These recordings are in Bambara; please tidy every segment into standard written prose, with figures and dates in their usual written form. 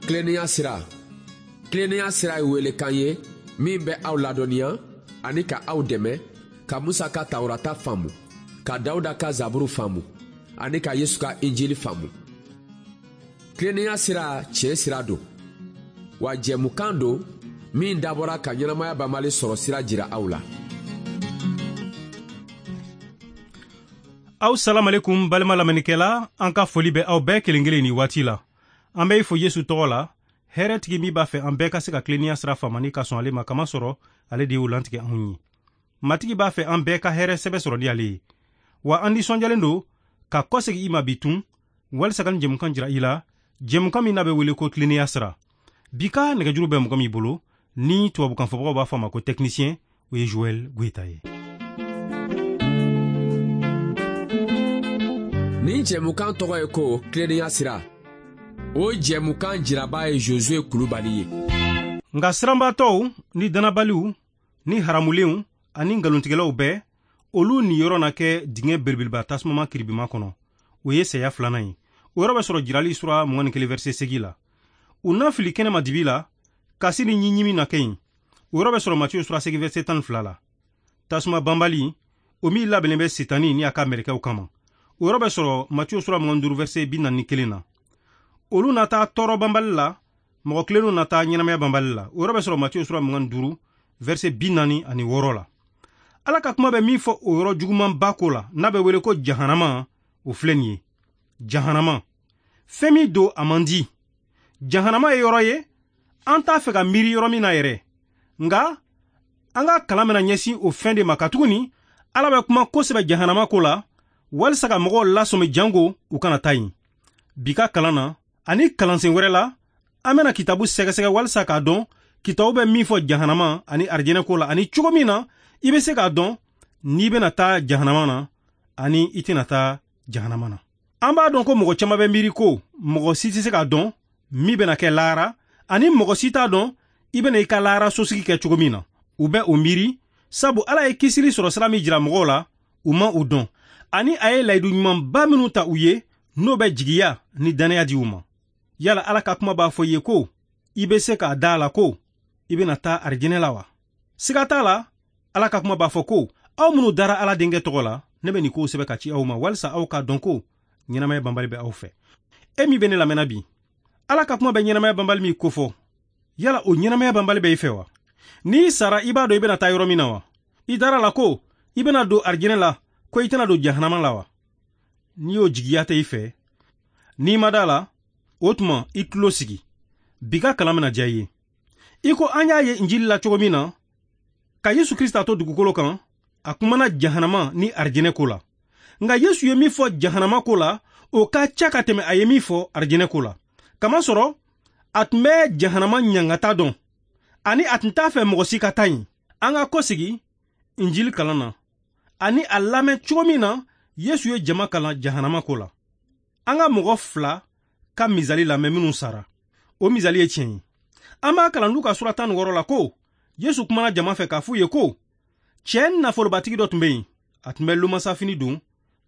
Tilennenya sira. Tilennenya sira ye welekan ye min bɛ aw ladɔnniya ani ka aw dɛmɛ ka Musa ka Tawurata faamu, ka Dawuda ka Zaburu faamu ani ka Yesu ka Injili faamu. Tilennenya sira tiɲɛ sira don, wa jɛmukan don min dabɔra ka ɲɛnamaya banbali sɔrɔ sira jira aw la. Aw salamalekum balima lamɛnnikɛla, an ka foli bɛ aw bɛɛ kelen kelen ni waati la. An bɛ i fo Yesu tɔgɔ la, hɛrɛtigi min b'a fɛ an bɛɛ ka se ka tilennenya sira faamu ni ka sɔn ale ma, kamasɔrɔ ale de y'o lantigɛ anw ye. Matigi b'a fɛ an bɛɛ ka hɛrɛ sɛbɛ sɔrɔ ni ale ye. Wa an nisɔndiyalen don ka kɔsegin i ma bi tun, walisa ka nin jɛmukan jira i la, jɛmukan min n'a bɛ wele ko tilennenya sira. Bi ka nɛgɛjuru bɛ mɔgɔ min bolo, ni tubabukanfɔbagaw b'a fɔ a ma ko technicien, o ye Joël Goyita ye. Nin jɛmukan tɔgɔ ye ko tilennenya sira. O jɛmukan jiraba ye Josue Kulubali ye. Nka siranbaatɔw ni dannabaliw ni haramulenw ani nkalontigɛlaw bɛɛ, olu niyɔrɔ na kɛ dingɛ belebeleba tasumama kiribima kɔnɔ. O ye saya filanan ye. O yɔrɔ bɛ sɔrɔ Jirali sura 21 verset 8 la. U na fili kɛnɛma dibi la, kasi ni ɲiɲimi na kɛ yen. O yɔrɔ bɛ sɔrɔ Matiyu sura 8 verset 12 la. Tasuma banbali, o min labɛnnen bɛ Setani ni a ka mɛlɛkɛw kama. O yɔrɔ bɛ sɔrɔ Matiyu sura 25 verset 41 na. Olu na taa tɔɔrɔ banbali la, mɔgɔ tilennenw na taa ɲɛnamaya banbali la. O yɔrɔ bɛ sɔrɔ Matiyu sura 25 verset 46 la. Ala ka kuma bɛ min fɔ o yɔrɔ jugumanba ko la, n'a bɛ wele ko jahanama, o filɛ nin ye. Jahanama, fɛn min don a man di. Jahanama ye yɔrɔ ye, an t'a fɛ ka miiri yɔrɔ min na yɛrɛ. Nka an ka kalan bɛna ɲɛsin o fɛn de ma, katuguni Ala bɛ kuma kosɛbɛ jahanama ko la, walisa ka mɔgɔw lasɔmi jango u kana taa yen. Bi ka kalan na ani kalansen wɛrɛ la, an bɛna kitabu sɛgɛsɛgɛ walisa k'a dɔn kitabu bɛ min fɔ jahanama ani arijinɛ ko la, ani cogo min na i bɛ se k'a dɔn n'i bɛna taa jahanama na ani i tɛna taa jahanama na. An b'a dɔn ko mɔgɔ caman bɛ miiri ko mɔgɔ si tɛ se k'a dɔn min bɛna kɛ lahara, ani mɔgɔ si t'a dɔn i bɛna i ka lahara sosigi kɛ cogo min na. U bɛ o miiri sabu Ala ye kisili sɔrɔ sira min jira mɔgɔw la, u ma o dɔn, ani a ye layidu ɲumanba minnu ta u ye, n'o bɛ jigiya ni dannaya di u ma. Yala Ala ka kuma b'a fɔ i ye ko i bɛ se k'a da a la ko i bɛna taa arijinɛ la wa? Siga t'a la, Ala ka kuma b'a fɔ ko aw minnu dara Ala denkɛ tɔgɔ la, ne bɛ nin kow sɛbɛn ka ci aw ma walisa aw k'a dɔn ko ɲɛnamaya banbali bɛ aw fɛ. E min bɛ ne lamɛnna bi, Ala ka kuma bɛ ɲɛnamaya banbali min kofɔ, yala o ɲɛnamaya banbali bɛ i fɛ wa? N'i sara, i b'a dɔn i bɛna taa yɔrɔ min na wa? I dara la ko i bɛna don arijinɛ la, ko i tɛna don jahanama la wa? N'i y'o jigiya tɛ i fɛ, n'i ma da la, o tuma i tulo sigi. Bi ka kalan bɛna diya i ye. I ko an y'a ye Injili la cogo min na, ka Yesu Krista to dugukolo kan, a kumana jahanama ni arijinɛ ko la. Nka Yesu ye min fɔ jahanama ko la, o ka ca ka tɛmɛ a ye min fɔ arijinɛ ko la. Kamasɔrɔ a tun bɛ jahanama ɲangata dɔn, ani a tun t'a fɛ mɔgɔ si ka taa yen. An ka kɔsegi Injili kalan na, ani a lamɛn cogo min na Yesu ye jama kalan jahanama ko la. An ka mɔgɔ fila ka misali lamɛn minnu sara. O misali ye tiɲɛ ye. An b'a kalan Luka sura 16 la ko Yesu kumana jama fɛ k'a f'u ye ko cɛ nafolobatigi dɔ tun bɛ yen, a tun bɛ lomasafini don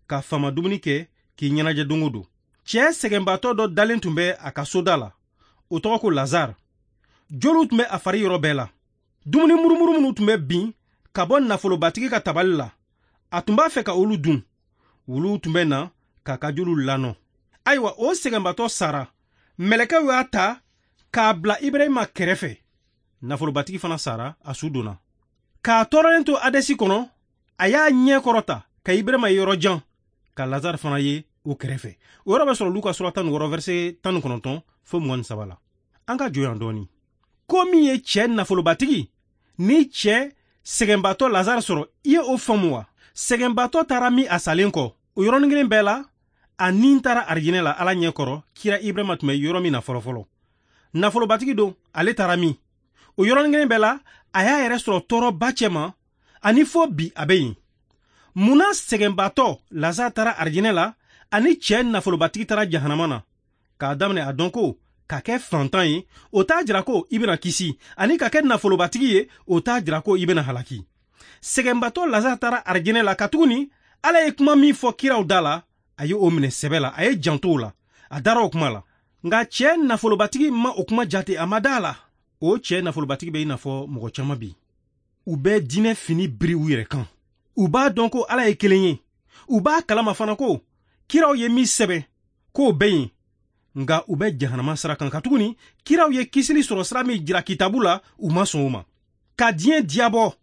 ka fama dumuni kɛ k'i ɲɛnajɛ don o don. Cɛ sɛgɛnbaatɔ dɔ dalen tun bɛ a ka soda la, o tɔgɔ ko Lazare. Joliw tun bɛ a fari yɔrɔ bɛɛ la. Dumuni murumuru minnu tun bɛ bin ka bɔ nafolobatigi ka tabali la, a tun b'a fɛ ka olu dun. Wuluw tun bɛ na k'a ka joliw lanɔ. Ayiwa, o sɛgɛnbaatɔ sara. Mɛlɛkɛw y'a ta k'a bila Ibrahima kɛrɛfɛ. Nafolobatigi fana sara, a su donna. K'a tɔɔrɔlen to Hadɛsi kɔnɔ, a y'a ɲɛ kɔrɔta ka Ibrahima ye yɔrɔ jan, ka Lazare fana ye o kɛrɛfɛ. O yɔrɔ bɛ sɔrɔ Luka sura 16 verset 19 fo 23 la. An ka jɔ yan dɔɔni. Ko min ye cɛ nafolobatigi ni cɛ sɛgɛnbaatɔ Lazare sɔrɔ, i ye o faamu wa? Sɛgɛnbaatɔ taara min a salen kɔ, o yɔrɔnin kelen bɛɛ la, a ni taara arijinɛ la Ala ɲɛ kɔrɔ, kira Ibrahima tun bɛ yɔrɔ min na fɔlɔfɔlɔ. Nafolobatigi don, ale taara min? O yɔrɔnin kelen bɛɛ la, a y'a yɛrɛ sɔrɔ tɔɔrɔba cɛma, ani fo bi a bɛ yen. Munna sɛgɛnbaatɔ Lazare taara arijinɛ la, ani cɛ nafolobatigi taara jahanama na? K'a daminɛ a dɔn ko ka kɛ fantan ye, o t'a jira ko i bɛna kisi, ani ka kɛ nafolobatigi ye, o t'a jira ko i bɛna halaki. Sɛgɛnbaatɔ Lazare taara arijinɛ la, katuguni Ala ye kuma min fɔ kiraw da la, a ye o minɛ sɛbɛ la, a ye janto o la, a dara o kuma la. Nka cɛ nafolobatigi ma o kuma jate, a ma da a la. O cɛ nafolobatigi bɛ i n'a fɔ mɔgɔ caman bi. U bɛ diinɛ fini biri u yɛrɛ kan. U b'a dɔn ko Ala ye kelen ye. U b'a kalama fana ko kiraw ye min sɛbɛn k'o bɛ yen. Nka u bɛ jahanama sira kan, katuguni kiraw ye kisili sɔrɔ sira min jira kitabu la, u ma sɔn o ma. Ka diɲɛ diyabɔ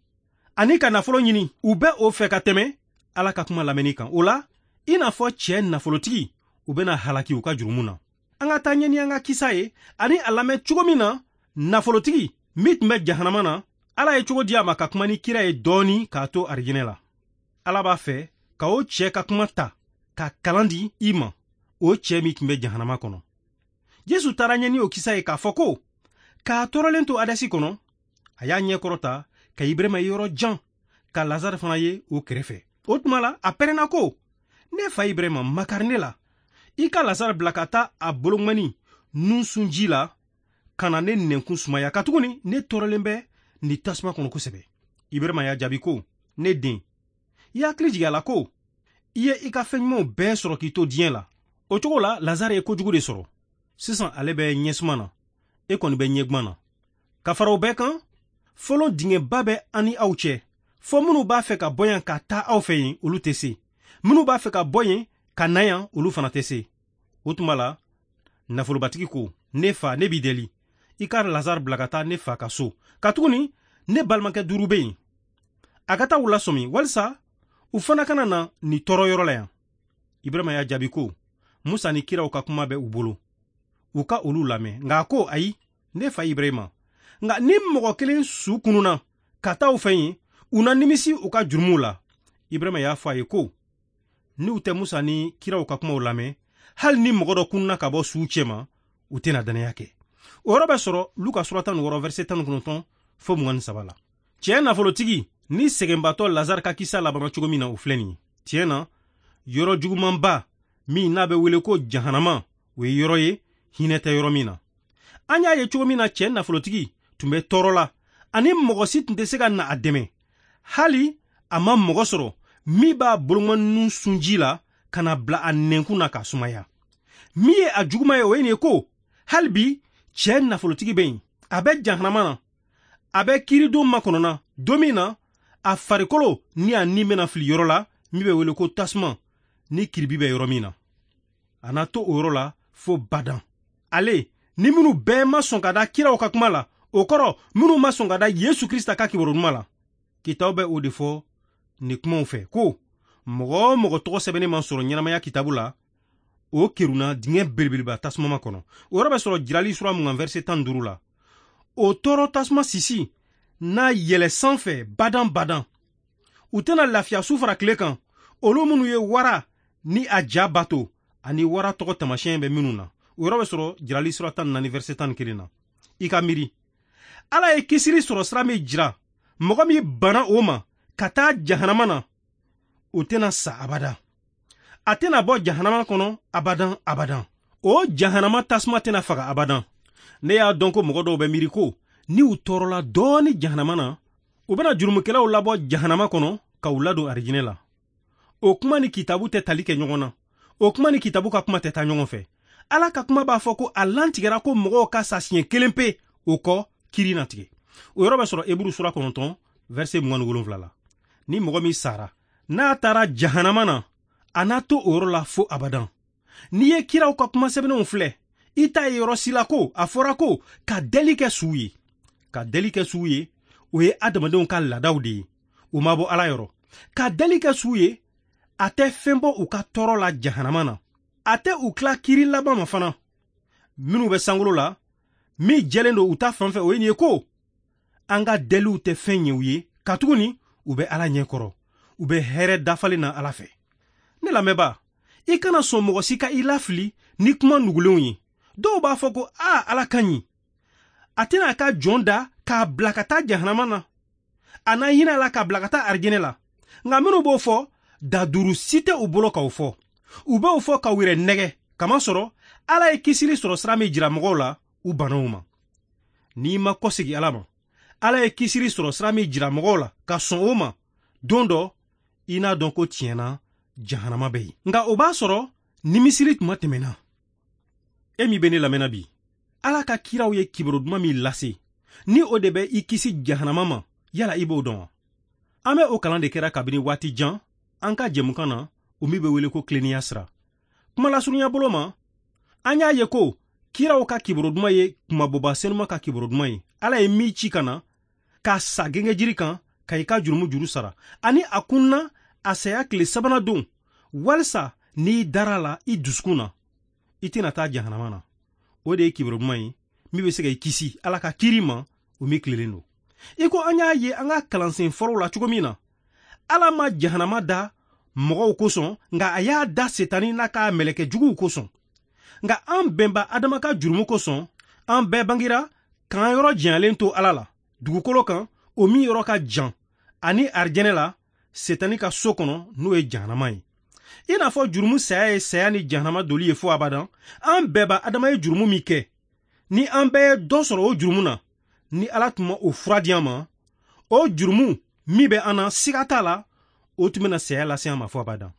ani ka nafolo ɲini, u bɛ o fɛ ka tɛmɛ Ala ka kuma lamɛnni kan. O la, i n'a fɔ cɛ nafolotigi, u bɛna halaki u ka jurumu na. An ka taa ɲɛ ni an ka kisa ye ani a lamɛn cogo min na nafolotigi min tun bɛ jahanama na, Ala ye cogo di a ma ka kuma ni kira ye dɔɔni k'a to arijinɛ la. Ala b'a fɛ ka o cɛ ka kuma ta ka kalan di i ma, o cɛ min tun bɛ jahanama kɔnɔ. Yesu taara ɲɛ ni o kisa ye k'a fɔ ko k'a tɔɔrɔlen to Hadɛsi kɔnɔ, a y'a ɲɛ kɔrɔta ka Ibrahima ye yɔrɔ jan, ka Lazare fana ye o kɛrɛfɛ. O tuma la, a pɛrɛnna ko, ne fa Ibrahima, makari ne la. I ka Lazare bila ka taa a boloŋɔni nun sunji la ka na ne nɛnkun sumaya, katuguni ne tɔɔrɔlen bɛ nin tasuma kɔnɔ kosɛbɛ. Ibrahima y'a jaabi ko, ne den, i hakili jigin a la ko i ye i ka fɛn ɲumanw bɛɛ sɔrɔ k'i to diɲɛ la. O cogo la, Lazare ye kojugu de sɔrɔ. Sisan ale bɛ ɲɛsuma na, e kɔni bɛ ɲɛguman na. Ka fara o bɛɛ kan, fɔlɔ dingɛba bɛ an ni aw cɛ. Fɔ minnu b'a fɛ ka bɔ yan ka taa aw fɛ yen, olu tɛ se. Minnu b'a fɛ ka bɔ yen ka na yan, olu fana tɛ se. O tuma la, nafolobatigi ko, ne fa, ne b'i deli, i ka Lazare bila ka taa ne fa ka so, katuguni ne balimakɛ 5 bɛ yen. A ka taa u lasɔmi walisa u fana kana na nin tɔɔrɔ yɔrɔ la yan. Ibrahima y'a jaabi ko, Musa ni kiraw ka kuma bɛ u bolo, u ka olu lamɛn. Nka a ko, ayi, ne fa Ibrahima, nka ni mɔgɔ kelen su kununa ka taa u fɛ yen, u na nimisi u ka jurumuw la. Ibrahima y'a fɔ a ye ko, n'u tɛ Musa ni kiraw ka kumaw lamɛn, hali ni mɔgɔ dɔ kununa ka bɔ suw cɛma, u tɛna danaya kɛ. O yɔrɔ bɛ sɔrɔ Luka sura 16 verset 19 fo 23 la. Cɛ nafolotigi ni sɛgɛnbatɔ Lazare ka kisa labanna cogo min na, o filɛ nin ye. Tiɲɛ na, yɔrɔ jugumanba min n'a bɛ wele ko jahanama, o ye yɔrɔ ye hinɛ tɛ yɔrɔ min na. An y'a ye cogo min na cɛ nafolotigi tun bɛ tɔɔrɔ la, ani mɔgɔ si tun tɛ se ka na a dɛmɛ. Hali a ma mɔgɔ sɔrɔ min b'a boloŋɔni sunji la ka na bila a nɛnkun na k'a sumaya. Min ye a juguman ye, o ye nin ye ko, hali bi cɛ nafolotigi bɛ yen, a bɛ jahanama na, a bɛ kiiridon makɔnɔ don min na a farikolo ni a ni bɛna fili yɔrɔ la min bɛ wele ko tasuma ni kiribi bɛ yɔrɔ min na. A na to o yɔrɔ la fo badan. Ale ni minnu bɛɛ ma sɔn ka da kiraw ka kuma la, o kɔrɔ minnu ma sɔn ka da Yesu Krista ka kibaru duman la. Kitabu bɛ o de fɔ nin kumaw fɛ ko mɔgɔ o mɔgɔ tɔgɔ sɛbɛnnen ma sɔrɔ ɲɛnamaya kitabu la, o kerunna dingɛ belebeleba tasuma kɔnɔ. O yɔrɔ bɛ sɔrɔ Jirali sura 20 verset 15 la. O tɔɔrɔ tasuma sisi n'a yɛlɛ sanfɛ badan badan. U tɛna lafiya su fara tile kan, olu minnu ye wara ni a ja bato ani wara tɔgɔ taamasiyɛn bɛ minnu na. O yɔrɔ bɛ sɔrɔ Jirali sura 14 verset 11 na. I ka miiri, Ala ye kisili sɔrɔ sira min jira mɔgɔ min banna o ma ka taa jahanama na, o tɛna sa abada. A tɛna bɔ jahanama kɔnɔ abadan abadan. O jahanama tasuma tɛna faga abadan. Ne y'a dɔn ko mɔgɔ dɔw bɛ miiri ko ni u tɔɔrɔla dɔɔni jahanama na, u bɛna jurumukɛlaw labɔ jahanama kɔnɔ ka u ladon arijinɛ la. O kuma ni kitabu tɛ tali kɛ ɲɔgɔn na. O kuma ni kitabu ka kuma tɛ taa ɲɔgɔn fɛ. Ala ka kuma b'a fɔ ko a lantigɛra ko mɔgɔw ka sa siɲɛ kelen pe, o kɔ kiri na tigɛ. O yɔrɔ bɛ sɔrɔ Eburu sura 9 verset 27 la. Ni mɔgɔ min sara, n'a taara jahanama na, a n'a to o yɔrɔ la fo abadan. N'i ye kiraw ka kuma sɛbɛnnenw filɛ, i t'a ye yɔrɔ si la ko a fɔra ko ka deli kɛ suw ye. Ka deli kɛ suw ye, o ye adamadenw ka laadaw de ye, o ma bɔ Ala yɔrɔ. Ka deli kɛ suw ye, a tɛ fɛn bɔ u ka tɔɔrɔ la jahanama na. A tɛ u tila kiri laban ma fana. Minnu bɛ sankolo la, min jɛlen don u ta fan fɛ, o ye nin ye ko an ka deliw tɛ fɛn ɲɛ u ye, katuguni u bɛ Ala ɲɛ kɔrɔ, u bɛ hɛrɛ dafalen na Ala fɛ. Ne lamɛnbaa, i kana sɔn mɔgɔ si ka i lafili ni kuma nugulenw ye. Dɔw b'a fɔ ko a Ala ka ɲi, a tɛna a ka jɔn da k'a bila ka taa jahanama na, a na hinɛ a la k'a bila ka taa arijinɛ la. Nka minnu b'o fɔ, da duuru si tɛ u bolo k'o fɔ. U b'o fɔ k'u yɛrɛ nɛgɛ, kamasɔrɔ Ala ye kisili sɔrɔ sira min jira mɔgɔw la, u banna o ma. N'i ma kɔsegin Ala ma, Ala ye kisili sɔrɔ sira min jira mɔgɔw la ka sɔn o ma, don dɔ i n'a dɔn ko tiɲɛ na jahanama bɛ yen. Nka o b'a sɔrɔ nimisili tuma tɛmɛna. E min bɛ ne lamɛnna bi, Ala ka kiraw ye kibaru duman min lase, ni o de bɛ i kisi jahanama ma, yala i b'o dɔn wa? An bɛ o kalan de kɛra kabini waati jan an ka jɛmukan na, o min bɛ wele ko tilennenya sira. Kuma lasurunya bolo ma, an y'a ye ko kiraw ka kibaru duman ye kunmabɔba senuma ka kibaru duman ye. Ala ye min ci ka na ka sa gengejiri kan ka i ka jurumu juru sara, ani a kunna a saya tile sabanan don, walisa n'i dara a la i dusukun na, i tɛna taa jahanama na. O de ye kibaru duman ye min bɛ se ka i kisi Ala ka kiiri ma, o min tilennen don. I ko an y'a ye an ka kalansen fɔlɔw la cogo min na, Ala ma jahanama da mɔgɔw kosɔn, nka a y'a da Setani n'a ka mɛlɛkɛ juguw kosɔn. Nka an bɛnba Adama ka jurumu kosɔn, an bɛɛ bangira k'an yɔrɔ janyalen to Ala la dugukolo kan, o min yɔrɔ ka jan, ani arijɛnɛ la Setani ka so kɔnɔ, n'o ye jahanama ye. I n'a fɔ jurumu saya ye saya ni jahanama doli ye fo abadan, an bɛnba Adama ye jurumu min kɛ, ni an bɛɛ ye dɔ sɔrɔ o jurumu na, ni Ala tun ma o fura di an ma, o jurumu min bɛ an na, siga t'a la, o tun bɛna saya lase an ma fo abadan.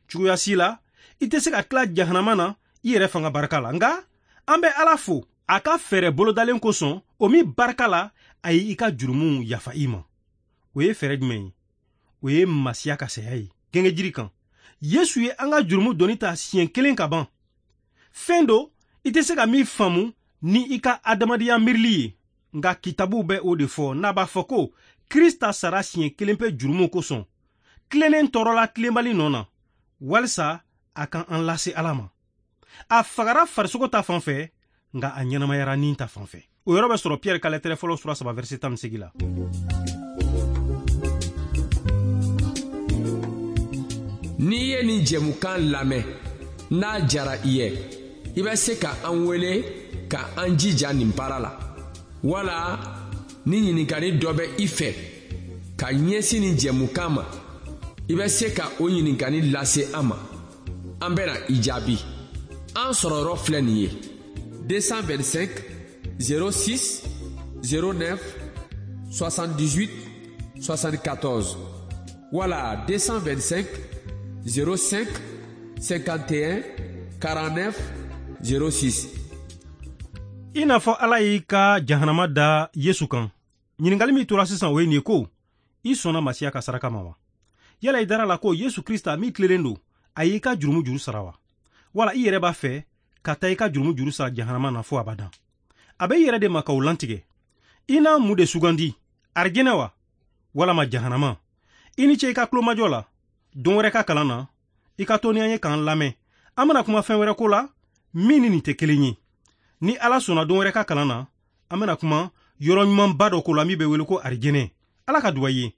Cogoya si la, i tɛ se ka tila jahanama na i yɛrɛ fanga barika la. Nka an bɛ Ala fo a ka fɛɛrɛ bolodalen kosɔn, o min barika la a ye i ka jurumuw yafa i ma. O ye fɛɛrɛ jumɛn ye? O ye Masiya ka saya ye gengejiri kan. Yesu ye an ka jurumu doni ta siɲɛ kelen ka ban. Fɛn do i tɛ se ka min faamu ni i ka adamadenya miirili ye, nka kitabuw bɛ o de fɔ n'a b'a fɔ ko Krista sara siɲɛ kelen pe jurumu kosɔn, tilennen tɔɔrɔla tilenbali nɔ na, walisa a ka an lase Ala ma. A fagara farisogo ta fan fɛ, nka a ɲɛnamayara ni ta fan fɛ. O yɔrɔ bɛ sɔrɔ Piyɛri ka lɛtɛrɛ fɔlɔ sura 3 verset 18 la. N'i ye nin jɛmukan lamɛn, n'a jara i ye, i bɛ se ka an wele ka an jija nin baara la. Wala ni ɲininkali dɔ bɛ i fɛ ka ɲɛsin nin jɛmukan ma, i bɛ se ka o ɲininkali lase an ma. An bɛna i jaabi. An sɔrɔyɔrɔ filɛ nin ye: 225 06 09 78 74 wala 225 05 51 49 06. I n'a fɔ Ala y'i ka jahanama da Yesu kan, ɲininkali min tora sisan o ye nin ye ko, i sɔnna Masiya ka saraka ma wa? Yala i dara la ko Yesu Krista min tilennen don, a y'i ka jurumu juru sara wa? Wala i yɛrɛ b'a fɛ ka taa i ka jurumu juru sara jahanama na fo abadan? A bɛ i yɛrɛ de ma k'o lantigɛ. I n'a mun de sugandi, arijɛnɛ wa walama jahanama? I ni ce i ka tulomajɔ la. Don wɛrɛ ka kalan na, i ka to ni an ye k'an lamɛn. An bɛna kuma fɛn wɛrɛ ko la min ni nin tɛ kelen ye. Ni Ala sɔnna don wɛrɛ ka kalan na, an bɛna kuma yɔrɔ ɲumanba dɔ ko la min bɛ wele ko arijɛnɛ. Ala ka duba i ye.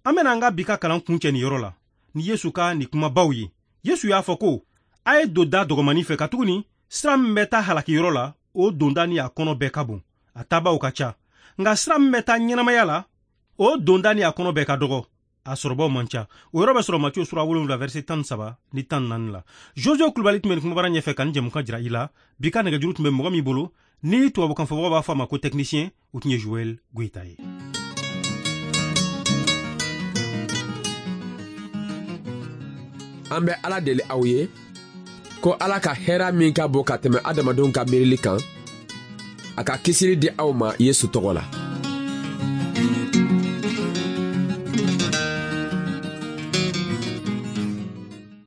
An bɛna an ka bi ka kalan kuncɛ nin yɔrɔ la ni Yesu ka nin kumabaw ye. Yesu y'a fɔ ko, a ye don da dɔgɔmannin fɛ, katuguni sira min bɛ taa halakiyɔrɔ la, o donda ni a kɔnɔ bɛɛ ka bon, a taabaw ka ca. Nka sira min bɛ taa ɲɛnamaya la, o donda ni a kɔnɔ bɛɛ ka dɔgɔ, a sɔrɔbaw man ca. O yɔrɔ bɛ sɔrɔ Matiyo sura 7 verset 13 ni 14 la. Jojo Kulubali tun bɛ nin kumabara ɲɛfɛ ka nin jɛmukan jira i la. Bi ka nɛgɛjuru tun bɛ mɔgɔ min bolo, ni tubabukan fɔbagaw b'a fɔ a ma ko technicien, o tun ye Joël Goyita ye. An bɛ Ala deli aw ye ko Ala ka hɛrɛ min ka bon ka tɛmɛ adamadenw ka miirili kan, a ka kisili di aw ma Yesu tɔgɔ la.